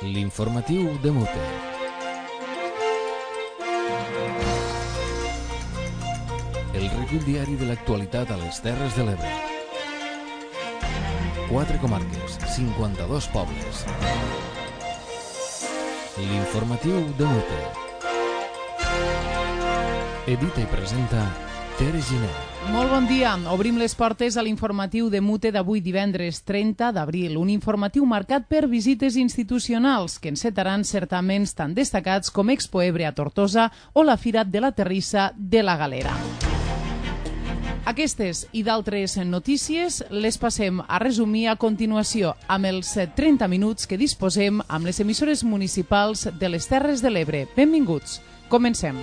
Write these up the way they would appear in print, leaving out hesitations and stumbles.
L'informatiu de Mute. El recull diari de l'actualitat a les Terres de l'Ebre. 4 comarques, 52 pobles. L'informatiu de Mute. Edita i presenta Tere Giner. Molt bon dia. Obrim les portes a l'informatiu de Mute d'avui divendres 30 d'abril. Un informatiu marcat per visites institucionals que encetaran certaments tan destacats com Expo Ebre a Tortosa o la Fira de la Terrissa de la Galera. Aquestes i d'altres notícies les passem a resumir a continuació amb els 30 minuts que disposem amb les emissores municipals de les Terres de l'Ebre. Benvinguts. Comencem.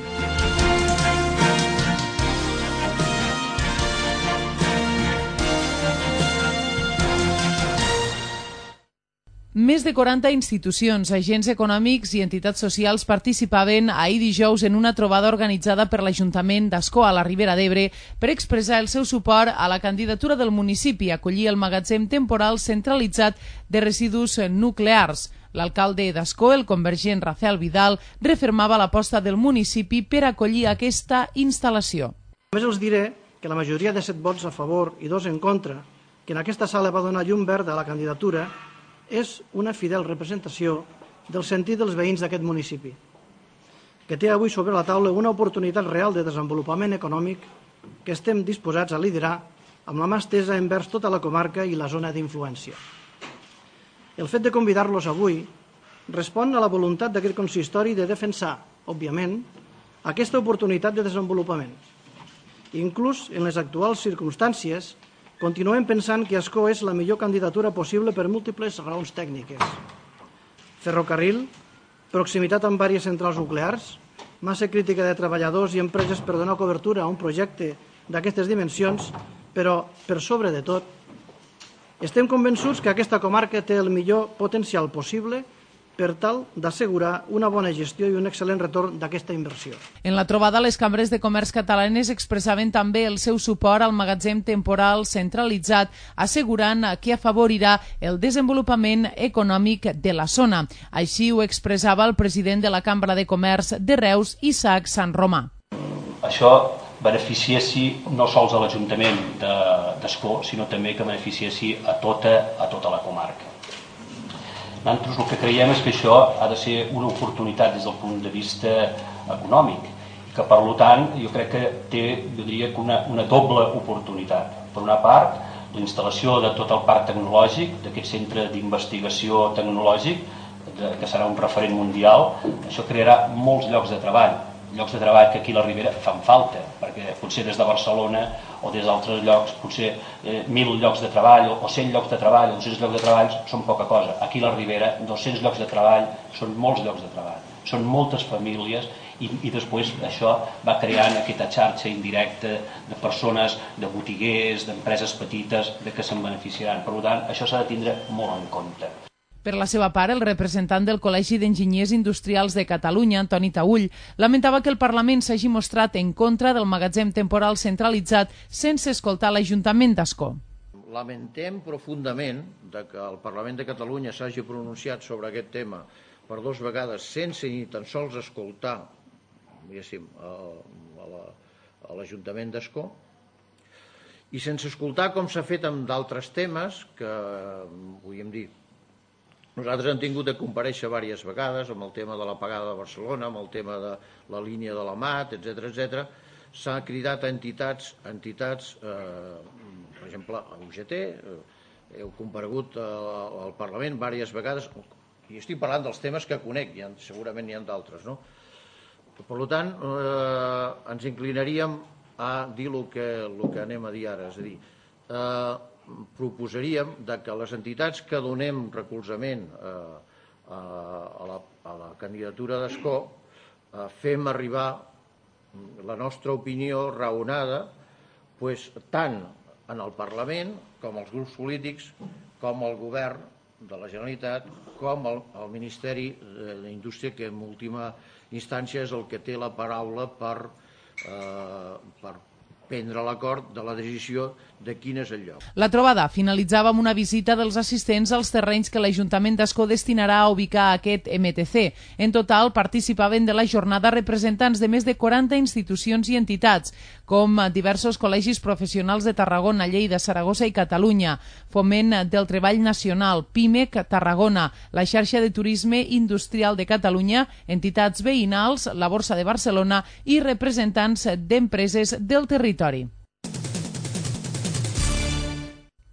Més de 40 institucions, agents econòmics i entitats socials participaven ahir dijous en una trobada organitzada per l'Ajuntament d'Ascó a la Ribera d'Ebre per expressar el seu suport a la candidatura del municipi a acollir el magatzem temporal centralitzat de residus nuclears. L'alcalde d'Ascó, el convergent Rafael Vidal, refermava l'aposta del municipi per acollir aquesta instal·lació. Només els diré que la majoria de 7 vots a favor i 2 en contra, que en aquesta sala va donar llum verda a la candidatura, és una fidel representació del sentit dels veïns d'aquest municipi, que té avui sobre la taula una oportunitat real de desenvolupament econòmic que estem disposats a liderar amb la mà estesa envers tota la comarca i la zona d'influència. El fet de convidar-los avui respon a la voluntat d'aquest consistori de defensar, òbviament, aquesta oportunitat de desenvolupament. Inclús en les actuals circumstàncies, continuem pensant que Ascó és la millor candidatura possible per múltiples raons tècniques. Ferrocarril, proximitat amb diverses centrals nuclears, massa crítica de treballadors i empreses per donar cobertura a un projecte d'aquestes dimensions, però, per sobre de tot, estem convençuts que aquesta comarca té el millor potencial possible per tal d'assegurar una bona gestió i un excel·lent retorn d'aquesta inversió. En la trobada, les cambres de comerç catalanes expressaven també el seu suport al magatzem temporal centralitzat, assegurant que afavorirà el desenvolupament econòmic de la zona. Així ho expressava el president de la Cambra de Comerç de Reus, Isaac Sant Romà. Això beneficiessi no sols a l'Ajuntament d'Ascó, sinó també que beneficiessi a tota la comarca. Nosaltres el que creiem és que això ha de ser una oportunitat des del punt de vista econòmic i que, per tant, jo crec que té, jo diria, una doble oportunitat. Per una part, la instal·lació de tot el parc tecnològic, d'aquest centre d'investigació tecnològic, que serà un referent mundial, això crearà molts llocs de treball que aquí a la Ribera fan falta, perquè potser des de Barcelona o des d'altres llocs, potser 1.000 llocs de treball o 100 llocs de treball o 200 llocs de treball són poca cosa. Aquí a la Ribera 200 llocs de treball són molts llocs de treball, són moltes famílies i després això va creant aquesta xarxa indirecta de persones, de botiguers, d'empreses petites que se'n beneficiaran. Per tant, això s'ha de tindre molt en compte. Per la seva part, el representant del Col·legi d'Enginyers Industrials de Catalunya, Antoni Taüll, lamentava que el Parlament s'hagi mostrat en contra del magatzem temporal centralitzat sense escoltar l'Ajuntament d'Ascó. Lamentem profundament que el Parlament de Catalunya s'hagi pronunciat sobre aquest tema per 2 vegades sense ni tan sols escoltar a l'Ajuntament d'Ascó i sense escoltar com s'ha fet amb d'altres temes que, podríem dir, nosaltres hem tingut de comparèixer diverses vegades amb el tema de la pagada de Barcelona, amb el tema de la línia de la MAT, etc. S'ha cridat a entitats, per exemple, a UGT, heu comparegut al Parlament diverses vegades, i estic parlant dels temes que conec, segurament n'hi ha d'altres, no? Per tant, ens inclinaríem a dir el que anem a dir ara, és a dir, proposaríem que les entitats que donem recolzament a la candidatura d'Ascó fem arribar la nostra opinió raonada tant en el Parlament com als grups polítics, com al Govern de la Generalitat, com al Ministeri d'Indústria, que en última instància és el que té la paraula per prendre l'acord de la decisió de quin és el lloc. La trobada finalitzava amb una visita dels assistents als terrenys que l'Ajuntament d'Ascó destinarà a ubicar aquest MTC. En total participaven de la jornada representants de més de 40 institucions i entitats, com diversos col·legis professionals de Tarragona, Lleida, Saragossa i Catalunya, Foment del Treball Nacional, PIMEC Tarragona, la xarxa de turisme industrial de Catalunya, entitats veïnals, la Borsa de Barcelona i representants d'empreses del territori.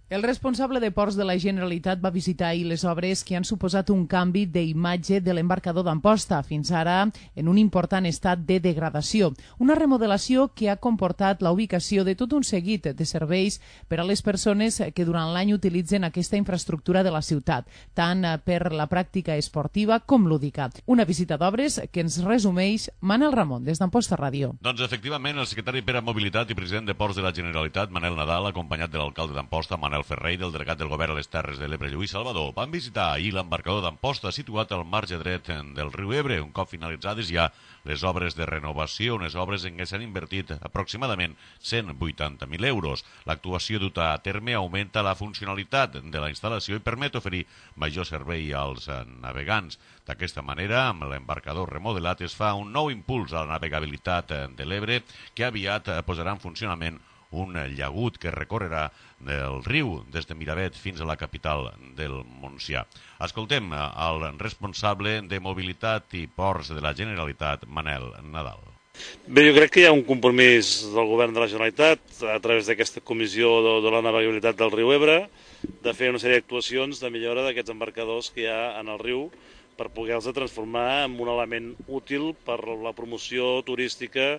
El responsable de Ports de la Generalitat va visitar ahir les obres que han suposat un canvi d'imatge de l'embarcador d'Amposta, fins ara en un important estat de degradació. Una remodelació que ha comportat la ubicació de tot un seguit de serveis per a les persones que durant l'any utilitzen aquesta infraestructura de la ciutat, tant per la pràctica esportiva com lúdica. Una visita d'obres que ens resumeix Manel Ramon, des d'Amposta Ràdio. Doncs efectivament, el secretari per a Mobilitat i president de Ports de la Generalitat, Manel Nadal, acompanyat de l'alcalde d'Amposta, Manel Ferrer, i del delegat del govern a les Terres de l'Ebre, Lluís Salvador, van visitar ahir l'embarcador d'Amposta situat al marge dret del riu Ebre, un cop finalitzades ja les obres de renovació, unes obres en què s'han invertit aproximadament 180.000 euros. L'actuació duta a terme augmenta la funcionalitat de la instal·lació i permet oferir major servei als navegants. D'aquesta manera, amb l'embarcador remodelat es fa un nou impuls a la navegabilitat de l'Ebre que aviat posarà en funcionament un llagut que recorrerà del riu des de Miravet fins a la capital del Montsià. Escoltem el responsable de Mobilitat i Ports de la Generalitat, Manel Nadal. Bé, jo crec que hi ha un compromís del govern de la Generalitat a través d'aquesta comissió de la navegabilitat del riu Ebre de fer una sèrie d'actuacions de millora d'aquests embarcadors que hi ha en el riu per poder-los transformar en un element útil per la promoció turística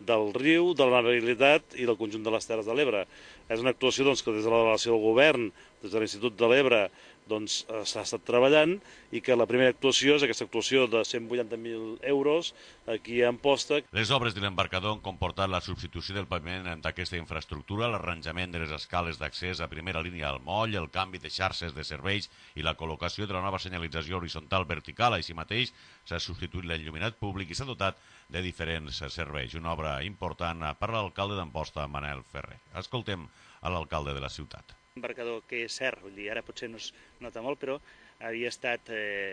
del riu, de la navegabilitat i del conjunt de les Terres de l'Ebre. És una actuació que des de la delegació del govern, des de l'Institut de l'Ebre, s'ha estat treballant i que la primera actuació és aquesta actuació de 180.000 euros aquí a Amposta. Les obres de l'embarcador han comportat la substitució del paviment d'aquesta infraestructura, l'arranjament de les escales d'accés a primera línia al moll, el canvi de xarxes de serveis i la col·locació de la nova senyalització horitzontal vertical. Així mateix s'ha substituït l'enlluminat públic i s'ha dotat de diferents serveis. Una obra important per l'alcalde d'Amposta, Manel Ferrer. Escoltem a l'alcalde de la ciutat. Un embarcador que és cert, vull dir, ara potser no es nota molt, però havia estat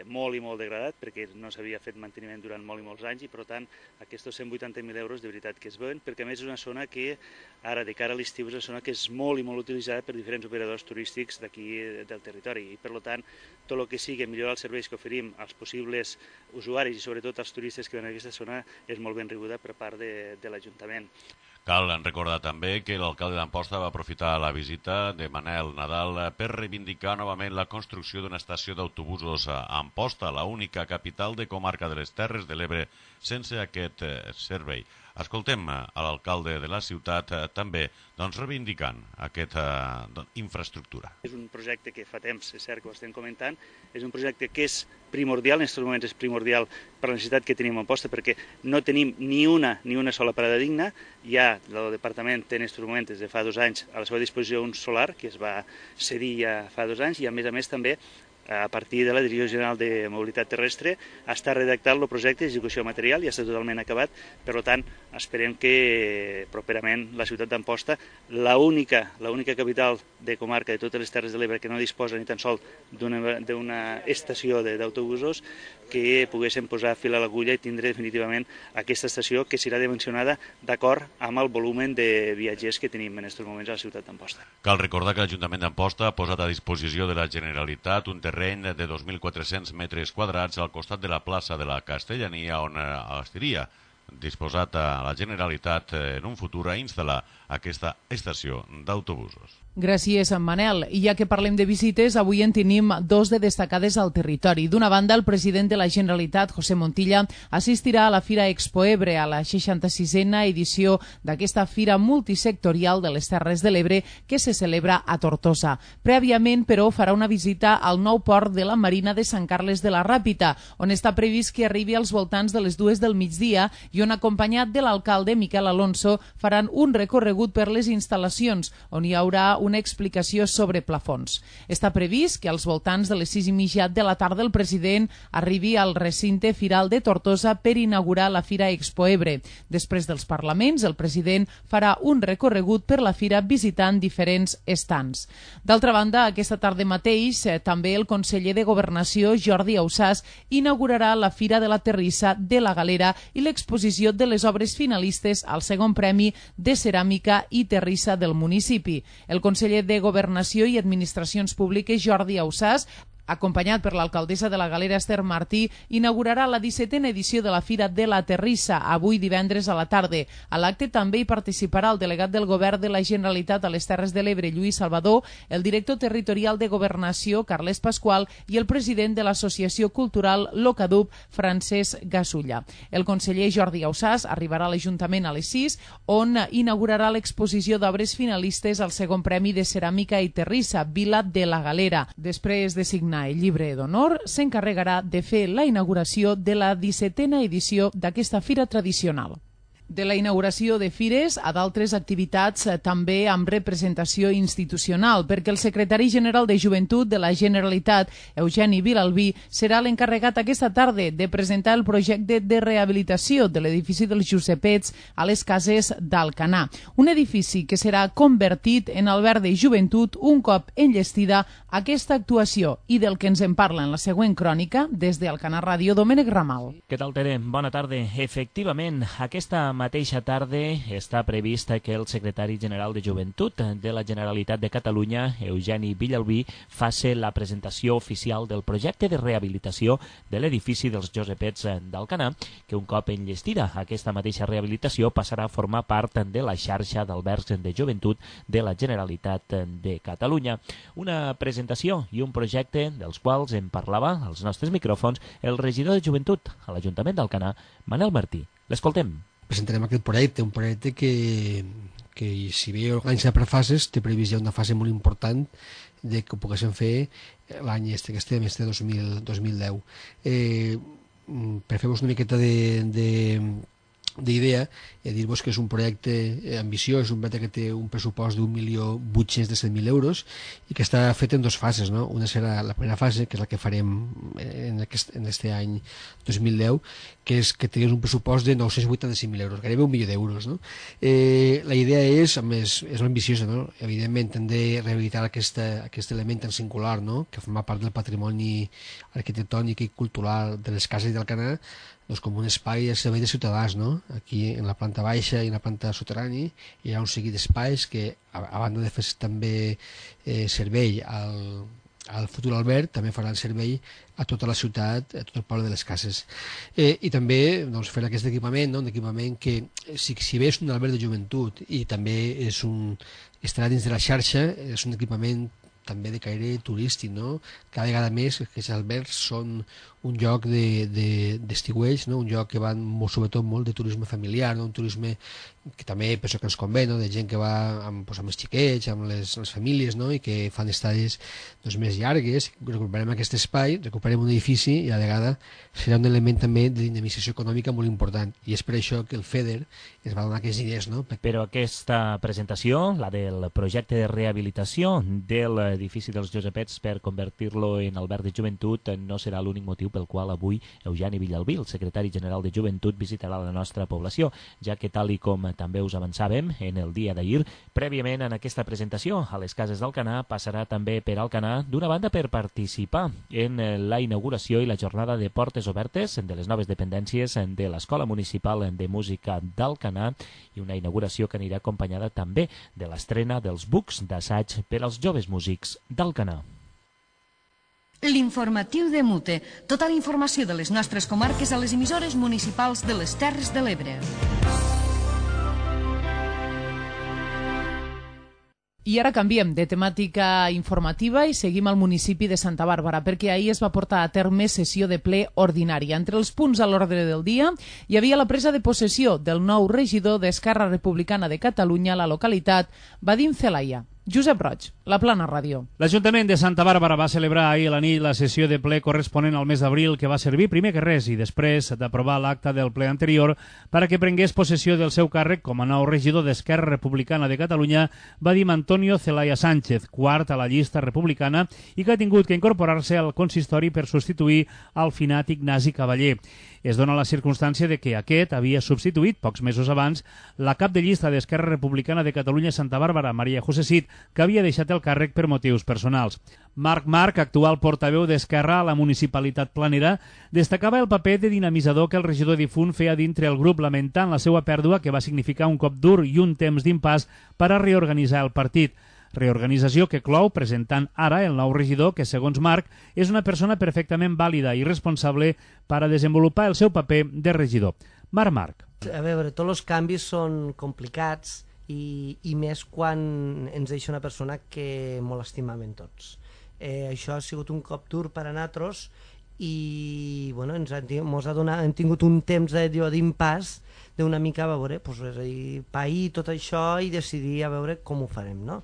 molt i molt degradat perquè no s'havia fet manteniment durant molt i molts anys i, per tant, aquests 180.000 euros de veritat que es veuen, perquè a més és una zona que ara, de cara a l'estiu, és una zona que és molt i molt utilitzada per diferents operadors turístics d'aquí del territori i, per tant, tot el que sigui millorar els serveis que oferim als possibles usuaris i sobretot als turistes que venen a aquesta zona és molt ben rebuda per part de l'Ajuntament. Cal recordar també que l'alcalde d'Amposta va aprofitar la visita de Manel Nadal per reivindicar novament la construcció d'una estació d'autobusos a Amposta, l'única capital de comarca de les Terres de l'Ebre sense aquest servei. Escoltem a l'alcalde de la ciutat també reivindicant aquesta infraestructura. És un projecte que fa temps, és cert que ho estem comentant, és un projecte que és primordial, en aquests moments és primordial per la necessitat que tenim a Amposta perquè no tenim ni una sola parada digna. Ja el departament té en aquests moments des de fa 2 anys a la seva disposició un solar que es va cedir ja fa 2 anys i a més també a partir de la Direcció General de Mobilitat Terrestre està redactat el projecte d'execució material i ja està totalment acabat. Per tant, esperem que properament la ciutat d'Amposta, l'única capital de comarca de totes les Terres de l'Ebre que no disposa ni tan sols d'una estació d'autobusos, que poguéssim posar fil a l'agulla i tindre definitivament aquesta estació que serà dimensionada d'acord amb el volum de viatgers que tenim en aquests moments a la ciutat d'Amposta. Cal recordar que l'Ajuntament d'Amposta ha posat a disposició de la Generalitat un terreny de 2.400 metres quadrats al costat de la plaça de la Castellania on estaria disposat a la Generalitat en un futur a instal·lar aquesta estació d'autobusos. Gràcies, Manel. I ja que parlem de visites, avui en tenim 2 de destacades al territori. D'una banda, el president de la Generalitat, José Montilla, assistirà a la Fira Expo Ebre, a la 66a edició d'aquesta fira multisectorial de les Terres de l'Ebre que se celebra a Tortosa. Prèviament, però, farà una visita al nou port de la Marina de Sant Carles de la Ràpita, on està previst que arribi als voltants de les 2 del migdia i on, acompanyat de l'alcalde Miquel Alonso, faran un recorregut per les instal·lacions, on hi haurà una explicació sobre plafons. Està previst que als voltants de les 6:30 de la tarda el president arribi al recinte firal de Tortosa per inaugurar la Fira Expo Ebre. Després dels parlaments, el president farà un recorregut per la fira visitant diferents estants. D'altra banda, aquesta tarda mateix, també el conseller de Governació, Jordi Ausàs, inaugurarà la Fira de la Terrissa de la Galera i l'exposició de les obres finalistes al segon premi de ceràmica i terrissa del municipi. El conseller de Governació i Administracions Públiques, Jordi Ausàs, acompanyat per l'alcaldessa de la Galera, Esther Martí, inaugurarà la 17a edició de la Fira de la Terrissa, avui divendres a la tarda. A l'acte també hi participarà el delegat del Govern de la Generalitat a les Terres de l'Ebre, Lluís Salvador, el director territorial de Governació, Carles Pasqual, i el president de l'Associació Cultural Locadub, Francesc Gasulla. El conseller Jordi Ausàs arribarà a l'Ajuntament a les 6, on inaugurarà l'exposició d'obres finalistes al segon premi de ceràmica i terrissa, Vila de la Galera. Després de signar el llibre d'honor, s'encarregarà de fer la inauguració de la 17a edició d'aquesta fira tradicional. De la inauguració de fires a d'altres activitats també amb representació institucional, perquè el secretari general de Joventut de la Generalitat, Eugeni Vilalbí, serà l'encarregat aquesta tarda de presentar el projecte de rehabilitació de l'edifici dels Josepets a les cases d'Alcanar. Un edifici que serà convertit en alberg de joventut un cop enllestida aquesta actuació, i del que ens en parla en la següent crònica des d'Alcanar Ràdio, Domènec Ramal. Què tal, Tere? Bona tarda. Efectivament, aquesta mateixa tarda està previst que el secretari general de Joventut de la Generalitat de Catalunya, Eugeni Vilalbí, faci la presentació oficial del projecte de rehabilitació de l'edifici dels Josepets d'Alcanar, que un cop enllestida aquesta mateixa rehabilitació passarà a formar part de la xarxa d'albergs de joventut de la Generalitat de Catalunya. Una presentació i un projecte dels quals en parlava als nostres micròfons el regidor de Joventut a l'Ajuntament d'Alcanar, Manel Martí. L'escoltem. Presentarem aquest projecte, un projecte que si bé organitza per fases, té previst ja una fase molt important de que ho poguéssim fer l'any que estem, 2010. Per fer-vos una miqueta d'idea, dir-vos que és un projecte ambiciós, un projecte que té un pressupost d'1.817.000 euros i que està fet en dues fases, no? Una serà la primera fase, que és la que farem en aquest any 2010, que és que tingués un pressupost de 985.000 euros, gairebé 1 milió d'euros, no? La idea és, a més, és ambiciosa, no? Evidentment, hem de rehabilitar aquest element tan singular, no? Que forma part del patrimoni arquitectònic i cultural de les cases d'Alcanar, com un espai de servei de ciutadans, no? Aquí en la planta baixa i en la planta soterrani hi ha un seguit d'espais que, a banda de fer també servei al futur alberg, també faran servei a tota la ciutat, a tot el poble de les cases. I també fer aquest equipament, un equipament que, si bé és un alberg de joventut i també estarà dins de la xarxa, és un equipament també de caire turístic, no? Cada vegada més aquests albergs són un lloc d'estiueig, no? Un lloc que van sobretot molt de turisme familiar, no? Un turisme que també penso que ens convé, no? De gent que va amb els xiquets, amb les famílies, no? I que fan estades més llargues. Recuperem aquest espai, recuperem un edifici i a la vegada serà un element també de dinamització econòmica molt important, i és per això que el FEDER ens va donar aquests diners, no? Però aquesta presentació, la del projecte de rehabilitació de l'edifici dels Josepets per convertir-lo en alberg de joventut, no serà l'únic motiu pel qual avui Eugeni Vilalbí, el secretari general de Joventut, visitarà la nostra població, ja que, tal i com també us avançàvem en el dia d'ahir, prèviament en aquesta presentació a les cases d'Alcanar passarà també per Alcanar, d'una banda per participar en la inauguració i la jornada de portes obertes de les noves dependències de l'Escola Municipal de Música d'Alcanar, i una inauguració que anirà acompanyada també de l'estrena dels bucs d'assaig per als joves músics d'Alcanar. L'informatiu de Mute. Tota la informació de les nostres comarques a les emissores municipals de les Terres de l'Ebre. I ara canviem de temàtica informativa i seguim al municipi de Santa Bàrbara, perquè ahir es va portar a terme sessió de ple ordinària. Entre els punts a l'ordre del dia hi havia la presa de possessió del nou regidor d'Esquerra Republicana de Catalunya a la localitat, Vadim Zelaya. Josep Roig, La Plana Ràdio. L'Ajuntament de Santa Bàrbara va celebrar ahir a la nit la sessió de ple corresponent al mes d'abril, que va servir primer que res i després d'aprovar l'acte del ple anterior perquè prengués possessió del seu càrrec com a nou regidor d'Esquerra Republicana de Catalunya, va dir Antonio Celaya Sánchez, quart a la llista republicana i que ha tingut que incorporar-se al consistori per substituir al finat Ignasi Cavaller. Es dona la circumstància de que aquest havia substituït, pocs mesos abans, la cap de llista d'Esquerra Republicana de Catalunya Santa Bàrbara, Maria José Cid, que havia deixat el càrrec per motius personals. Marc, actual portaveu d'Esquerra a la municipalitat planera, destacava el paper de dinamitzador que el regidor difunt feia dintre el grup, lamentant la seva pèrdua, que va significar un cop dur i un temps d'impàs per a reorganitzar el partit. Reorganització que clou presentant ara el nou regidor que, segons Marc, és una persona perfectament vàlida i responsable per a desenvolupar el seu paper de regidor. Marc. A veure, tots els canvis són complicats i més quan ens deixa una persona que molt estimàvem tots. Això ha sigut un cop dur per a nosaltres i bueno, hem tingut un temps d'impàs d'una mica a veure, és a dir, pair tot això i decidir a veure com ho farem, no?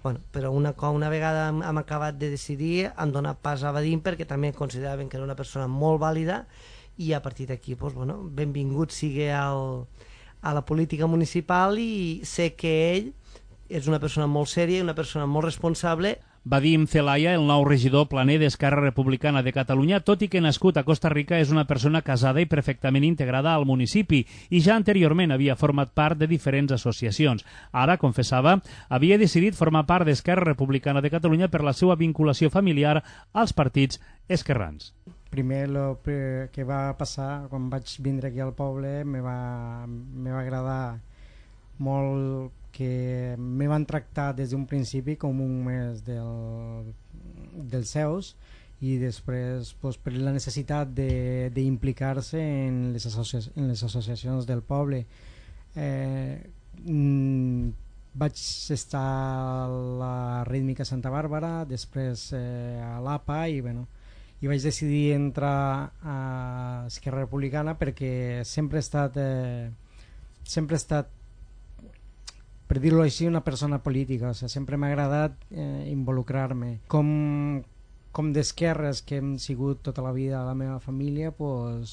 Bueno, però una vegada hem acabat de decidir, hem donat pas a Vadim perquè també consideraven que era una persona molt vàlida i a partir d'aquí, benvingut sigui a la política municipal i sé que ell és una persona molt sèria i una persona molt responsable. Vadim Celaya, el nou regidor planer d'Esquerra Republicana de Catalunya, tot i que nascut a Costa Rica, és una persona casada i perfectament integrada al municipi i ja anteriorment havia format part de diferents associacions. Ara, confessava, havia decidit formar part d'Esquerra Republicana de Catalunya per la seva vinculació familiar als partits esquerrans. Primer, el que va passar quan vaig vindre aquí al poble me va agradar molt que me van tractar des d'un principi com un més dels seus i després per la necessitat d'implicar-se en les associacions del poble. Vaig estar a la Rítmica Santa Bàrbara, després a l'APA i vaig decidir entrar a Esquerra Republicana perquè sempre he estat per dir-ho així, una persona política, sempre m'ha agradat involucrar-me. Com d'esquerres que hem sigut tota la vida a la meva família, vaig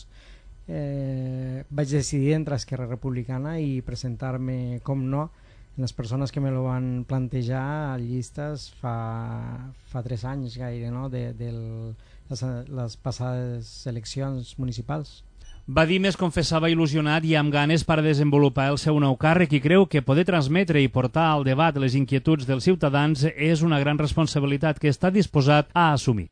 decidir entrar a Esquerra Republicana i presentar-me, com no, les persones que me lo van plantejar a llistes fa 3 anys gaire, no? de les passades eleccions municipals. Vadim es confessava il·lusionat i amb ganes per a desenvolupar el seu nou càrrec i creu que poder transmetre i portar al debat les inquietuds dels ciutadans és una gran responsabilitat que està disposat a assumir.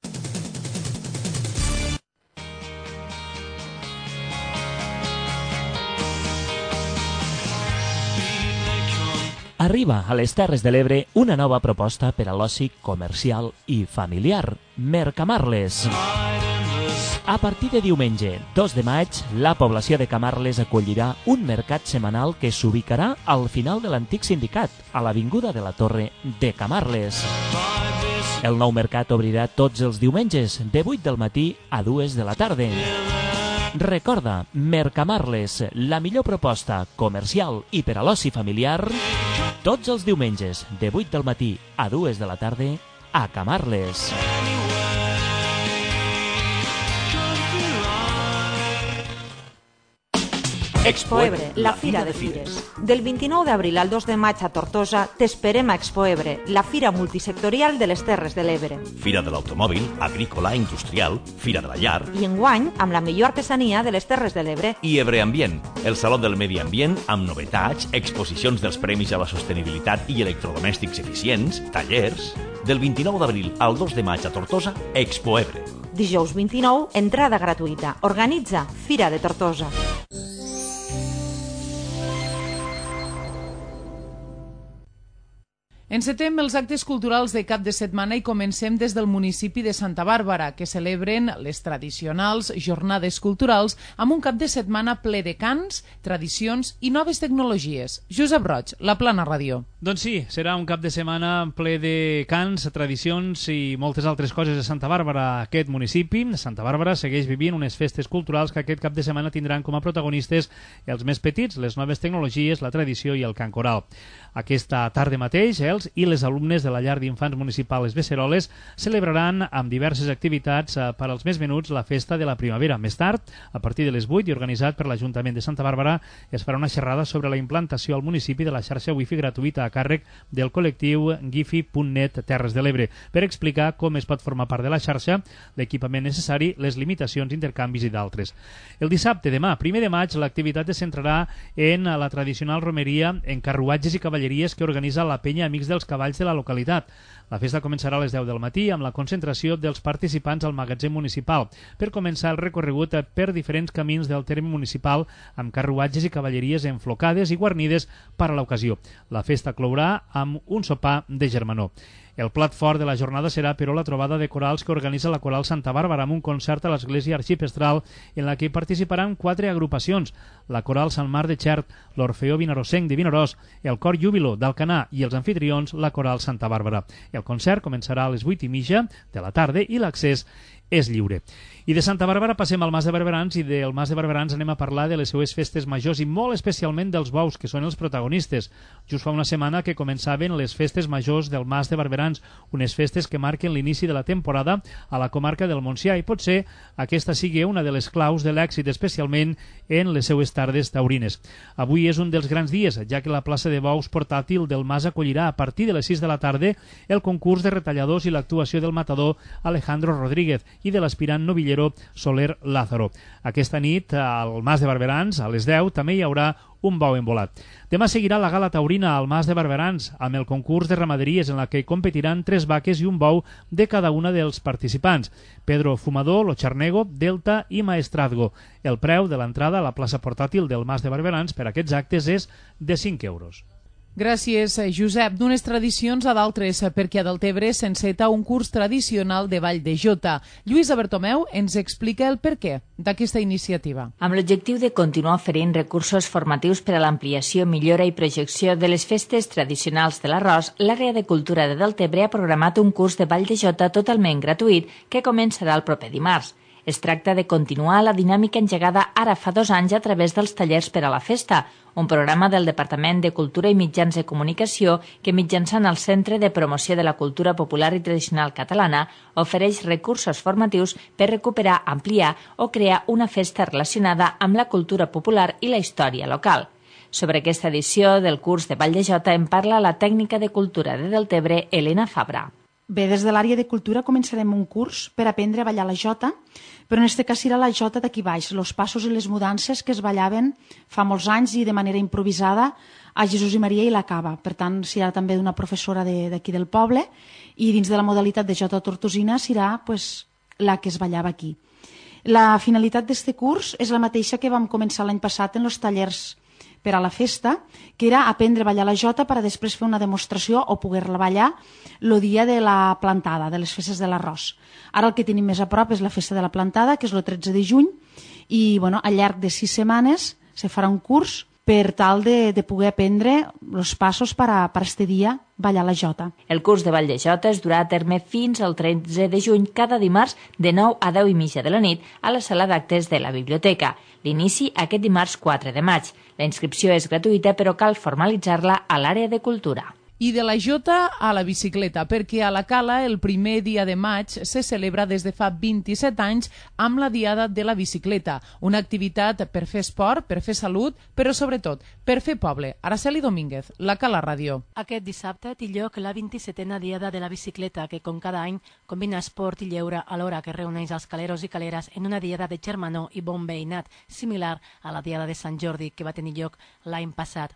Arriba a les Terres de l'Ebre una nova proposta per a l'oci comercial i familiar, Mercamarles. A partir de diumenge, 2 de maig, la població de Camarles acollirà un mercat setmanal que s'ubicarà al final de l'antic sindicat, a l'avinguda de la Torre de Camarles. El nou mercat obrirà tots els diumenges, de 8 del matí a 2 de la tarda. Recorda, Mercamarles, la millor proposta comercial i per a l'oci familiar, tots els diumenges, de 8 del matí a 2 de la tarda, a Camarles. Expo Ebre, la fira de fires. Del 29 d'abril al 2 de maig a Tortosa t'esperem a Expo Ebre, la fira multisectorial de les Terres de l'Ebre. Fira de l'automòbil, agrícola, industrial, fira de la llar. I enguany amb la millor artesania de les Terres de l'Ebre. I Ebre Ambient, el Saló del Medi Ambient amb novetats, exposicions dels Premis a la Sostenibilitat i electrodomèstics eficients, tallers. Del 29 d'abril al 2 de maig a Tortosa, Expo Ebre. Dijous 29, entrada gratuïta. Organitza Fira de Tortosa. Encetem els actes culturals de cap de setmana i comencem des del municipi de Santa Bàrbara, que celebren les tradicionals jornades culturals amb un cap de setmana ple de cants, tradicions i noves tecnologies. Josep Roig, La Plana Ràdio. Doncs sí, serà un cap de setmana ple de cants, tradicions i moltes altres coses de Santa Bàrbara. Aquest municipi, Santa Bàrbara, segueix vivint unes festes culturals que aquest cap de setmana tindran com a protagonistes els més petits, les noves tecnologies, la tradició i el cant coral. Aquesta tarda mateix, els els i les alumnes de la llar d'infants municipal Les Beceroles celebraran amb diverses activitats per als més menuts la festa de la primavera. Més tard, a partir de les 8 i organitzat per l'Ajuntament de Santa Bàrbara, es farà una xerrada sobre la implantació al municipi de la xarxa wifi gratuïta a càrrec del col·lectiu Gifi.net Terres de l'Ebre per explicar com es pot formar part de la xarxa, l'equipament necessari, les limitacions, intercanvis i d'altres. El dissabte, demà, 1 de maig, l'activitat es centrarà en la tradicional romeria en carruatges i cavalleries que organitza la penya Amics dels Cavalls de la localitat. La festa començarà a les 10 del matí amb la concentració dels participants al magatzem municipal per començar el recorregut per diferents camins del terme municipal amb carruatges i cavalleries enflocades i guarnides per a l'ocasió. La festa clourà amb un sopar de germanor. El plat fort de la jornada serà, però, la trobada de corals que organitza la Coral Santa Bàrbara amb un concert a l'Església Arxipestral en la que participaran 4 agrupacions: la Coral Sant Marc de Xert, l'Orfeó Vinarosenc de Vinaròs, el Cor Júbilo d'Alcanar i els anfitrions, la Coral Santa Bàrbara. El concert començarà a les 8:30 de la tarda i l'accés és lliure. I de Santa Bàrbara passem al Mas de Barberans i del Mas de Barberans anem a parlar de les seues festes majors i molt especialment dels bous, que són els protagonistes. Just fa una setmana que començaven les festes majors del Mas de Barberans, unes festes que marquen l'inici de la temporada a la comarca del Montsià i potser aquesta sigui una de les claus de l'èxit, especialment en les seues tardes taurines. Avui és un dels grans dies, ja que la plaça de bous portàtil del Mas acollirà a partir de les 6 de la tarda el concurs de retalladors i l'actuació del matador Alejandro Rodríguez i de l'aspirant novillero Soler Lázaro. Aquesta nit, al Mas de Barberans, a les 10, també hi haurà un bou envolat. Demà seguirà la gala taurina al Mas de Barberans amb el concurs de ramaderies en la que competiran 3 vaques i un bou de cada una dels participants: Pedro Fumador, Lo Charnego, Delta i Maestrazgo. El preu de l'entrada a la plaça portàtil del Mas de Barberans per a aquests actes és de 5 euros. Gràcies, Josep. D'unes tradicions a d'altres, perquè a Deltebre s'enceta un curs tradicional de ball de jota. Lluïsa Bertomeu ens explica el perquè d'aquesta iniciativa. Amb l'objectiu de continuar oferint recursos formatius per a l'ampliació, millora i projecció de les festes tradicionals de l'arròs, l'àrea de cultura de Deltebre ha programat un curs de ball de jota totalment gratuït que començarà el proper dimarts. Es tracta de continuar la dinàmica engegada ara fa 2 anys a través dels tallers per a la festa, un programa del Departament de Cultura i Mitjans de Comunicació que, mitjançant el Centre de Promoció de la Cultura Popular i Tradicional Catalana, ofereix recursos formatius per recuperar, ampliar o crear una festa relacionada amb la cultura popular i la història local. Sobre aquesta edició del curs de ball de jota en parla la tècnica de cultura de Deltebre, Elena Fabra. Bé, des de l'àrea de cultura començarem un curs per aprendre a ballar la jota, però en aquest cas serà la jota d'aquí baix, els passos i les mudances que es ballaven fa molts anys i de manera improvisada a Jesús i Maria i la Cava. Per tant, serà també d'una professora d'aquí del poble i dins de la modalitat de jota tortosina serà la que es ballava aquí. La finalitat d'aquest curs és la mateixa que vam començar l'any passat en els tallers per a la festa, que era aprendre a ballar la jota per a després fer una demostració o poder-la ballar el dia de la plantada, de les festes de l'arròs. Ara el que tenim més a prop és la festa de la plantada, que és el 13 de juny, i al llarg de 6 setmanes se farà un curs per tal de poder aprendre els passos per a este dia ballar la jota. El curs de ball de jota es durà a terme fins al 13 de juny cada dimarts de 9 a 10:30 de la nit a la sala d'actes de la biblioteca. L'inici aquest dimarts 4 de maig. La inscripció és gratuïta però cal formalitzar-la a l'àrea de cultura. I de la jota a la bicicleta, perquè a la Cala el primer dia de maig se celebra des de fa 27 anys amb la Diada de la Bicicleta, una activitat per fer esport, per fer salut, però sobretot per fer poble. Araceli Domínguez, la Cala Ràdio. Aquest dissabte té lloc la 27a Diada de la Bicicleta, que com cada any combina esport i lleure alhora que reuneix els caleros i caleres en una diada de germanor i bon veïnat, similar a la Diada de Sant Jordi que va tenir lloc l'any passat.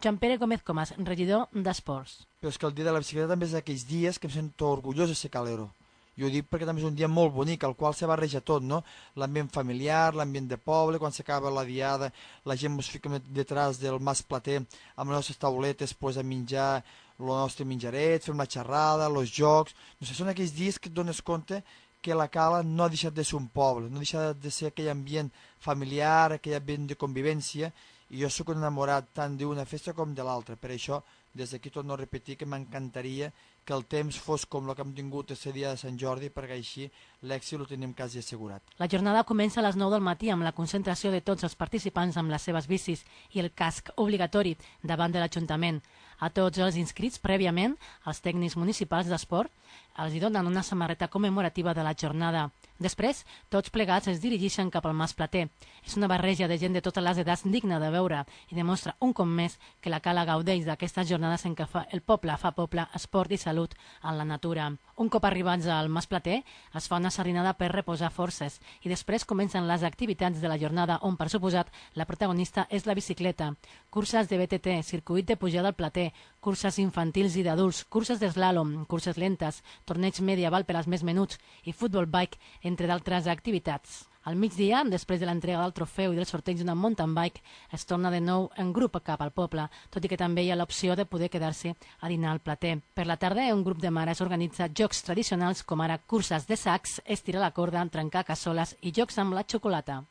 Joan Pere Gómez Comas, regidor d'Esports. Però és que el dia de la bicicleta també és d'aquells dies que em sento orgullós de ser calero. Jo ho dic perquè també és un dia molt bonic, al qual se barreja tot, no? L'ambient familiar, l'ambient de poble, quan s'acaba la diada, la gent ens fica detrás del Mas Plater amb les nostres tauletes a menjar el nostre menjaret, fem la xerrada, els jocs... No sé, són aquells dies que et dones compte que la Cala no ha deixat de ser un poble, no ha deixat de ser aquell ambient familiar, aquell ambient de convivència, i jo sóc enamorat tant d'una festa com de l'altra, per això des d'aquí torno a repetir que m'encantaria que el temps fos com el que hem tingut el dia de Sant Jordi, perquè així l'èxit ho tenim quasi assegurat. La jornada comença a les 9 del matí amb la concentració de tots els participants amb les seves bicis i el casc obligatori davant de l'Ajuntament. A tots els inscrits prèviament, els tècnics municipals d'esport els donen una samarreta commemorativa de la jornada. Després, tots plegats es dirigeixen cap al Mas Plater. És una barreja de gent de totes les edats digna de veure i demostra un cop més que la Cala gaudeix d'aquestes jornades en què el poble fa poble, esport i salut en la natura. Un cop arribats al Mas Plater, es fa una sardinada per reposar forces i després comencen les activitats de la jornada on, per suposat, la protagonista és la bicicleta. Curses de BTT, circuit de pujada al Plater, curses infantils i d'adults, curses d'eslàlom, curses lentes, torneig medieval per als més menuts i futbol bike, entre d'altres activitats. Al migdia, després de l'entrega del trofeu i del sorteig d'una mountain bike, es torna de nou en grup cap al poble, tot i que també hi ha l'opció de poder quedar-se a dinar al Plater. Per la tarda, un grup de mares organitza jocs tradicionals com ara curses de sacs, estirar la corda, trencar cassoles i jocs amb la xocolata.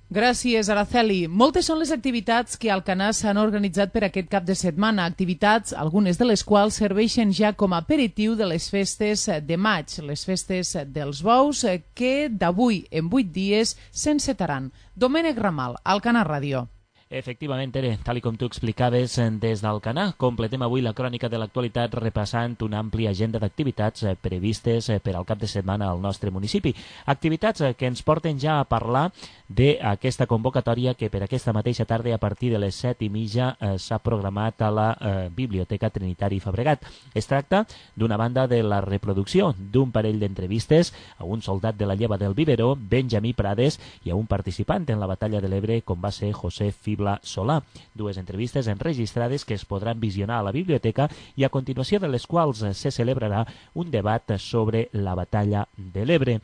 Gràcies, Araceli. Moltes són les activitats que a Alcanar s'han organitzat per aquest cap de setmana. Activitats, algunes de les quals serveixen ja com a aperitiu de les festes de maig, les festes dels bous, que d'avui en 8 dies s'encetaran. Domènec Ramal, Alcanar Ràdio. Efectivament, Tere, tal com tu explicaves des d'Alcanar, completem avui la crònica de l'actualitat repassant una àmplia agenda d'activitats previstes per al cap de setmana al nostre municipi. Activitats que ens porten ja a parlar d'aquesta convocatòria que per aquesta mateixa tarda a partir de les 7:30 s'ha programat a la Biblioteca Trinitari Fabregat. Es tracta d'una banda de la reproducció d'un parell d'entrevistes a un soldat de la lleva del Biberó, Benjamí Prades, i a un participant en la batalla de l'Ebre com va ser José Fibla Solà. Dues entrevistes enregistrades que es podran visionar a la biblioteca i a continuació de les quals se celebrarà un debat sobre la batalla de l'Ebre.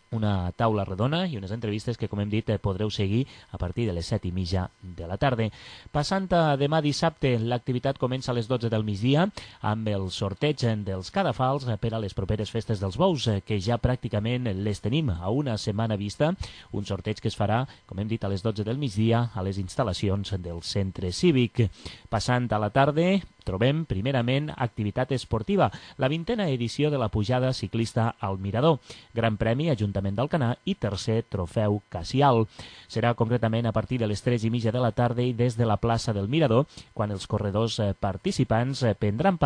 Una taula redona i unes entrevistes que, com hem dit, podreu seguir a partir de les 7:30 de la tarda. Passant a demà dissabte, l'activitat comença a les 12 del migdia amb el sorteig dels cadafals per a les properes festes dels bous, que ja pràcticament les tenim a una setmana vista. Un sorteig que es farà, com hem dit, a les 12 del migdia a les instal·lacions del centre cívic. Passant a la tarda, trobem primerament activitat esportiva, la 20a edició de la pujada ciclista al Mirador, Gran Premi Ajuntament d'Alcanar i tercer trofeu Cassial. Serà concretament a partir de les 3:30 de la tarda i des de la plaça del Mirador, quan els corredors participants prendran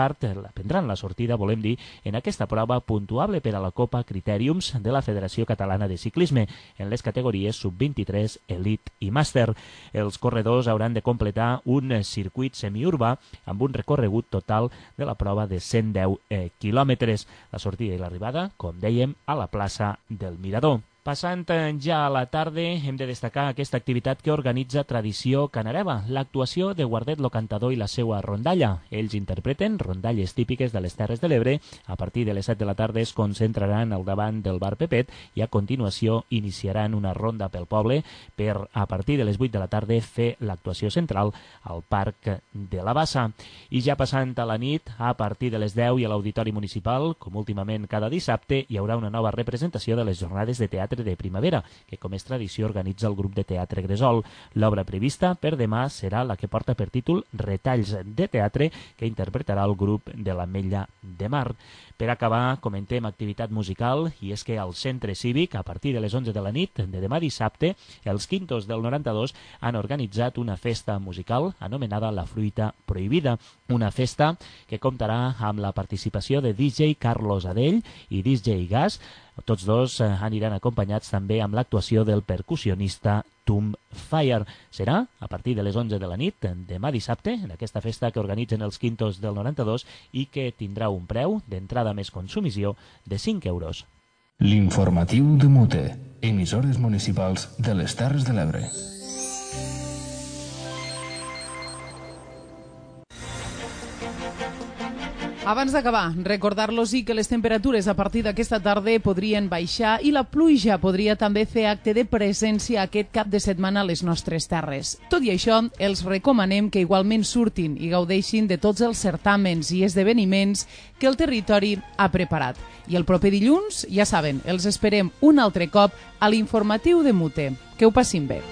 la sortida, volem dir, en aquesta prova puntuable per a la Copa Critèriums de la Federació Catalana de Ciclisme, en les categories sub-23, Elite i Màster. Els corredors hauran de completar un circuit semiurbà amb un recorregut total de la prova de 110 quilòmetres. La sortida i l'arribada, com dèiem, a la plaça del Mirador. Passant ja a la tarda, hem de destacar aquesta activitat que organitza Tradició Canareva, l'actuació de Guardet lo Cantador i la seva rondalla. Ells interpreten rondalles típiques de les Terres de l'Ebre. A partir de les 7 de la tarda es concentraran al davant del bar Pepet i a continuació iniciaran una ronda pel poble per, a partir de les 8 de la tarda, fer l'actuació central al Parc de la Bassa. I ja passant a la nit, a partir de les 10 i a l'Auditori Municipal, com últimament cada dissabte, hi haurà una nova representació de les jornades de teatre de primavera, que com és tradició organitza el grup de teatre Gresol. L'obra prevista per demà serà la que porta per títol Retalls de teatre, que interpretarà el grup de l'Ametlla de Mar. Per acabar, comentem activitat musical, i és que al Centre Cívic, a partir de les 11 de la nit de demà dissabte, els Quintos del 92 han organitzat una festa musical anomenada La Fruita Prohibida, una festa que comptarà amb la participació de DJ Carlos Adell i DJ Gas. Tots dos aniran acompanyats també amb l'actuació del percussionista Tom Fire. Serà a partir de les 11 de la nit, demà dissabte, en aquesta festa que organitzen els Quintos del 92 i que tindrà un preu d'entrada més consumició de 5 euros. L'informatiu de Mute, emissores municipals de les Terres de l'Ebre. Abans d'acabar, recordar-los que les temperatures a partir d'aquesta tarda podrien baixar i la pluja podria també fer acte de presència aquest cap de setmana a les nostres terres. Tot i això, els recomanem que igualment surtin i gaudeixin de tots els certàmens i esdeveniments que el territori ha preparat. I el proper dilluns, ja saben, els esperem un altre cop a l'informatiu de Mute. Que ho passin bé.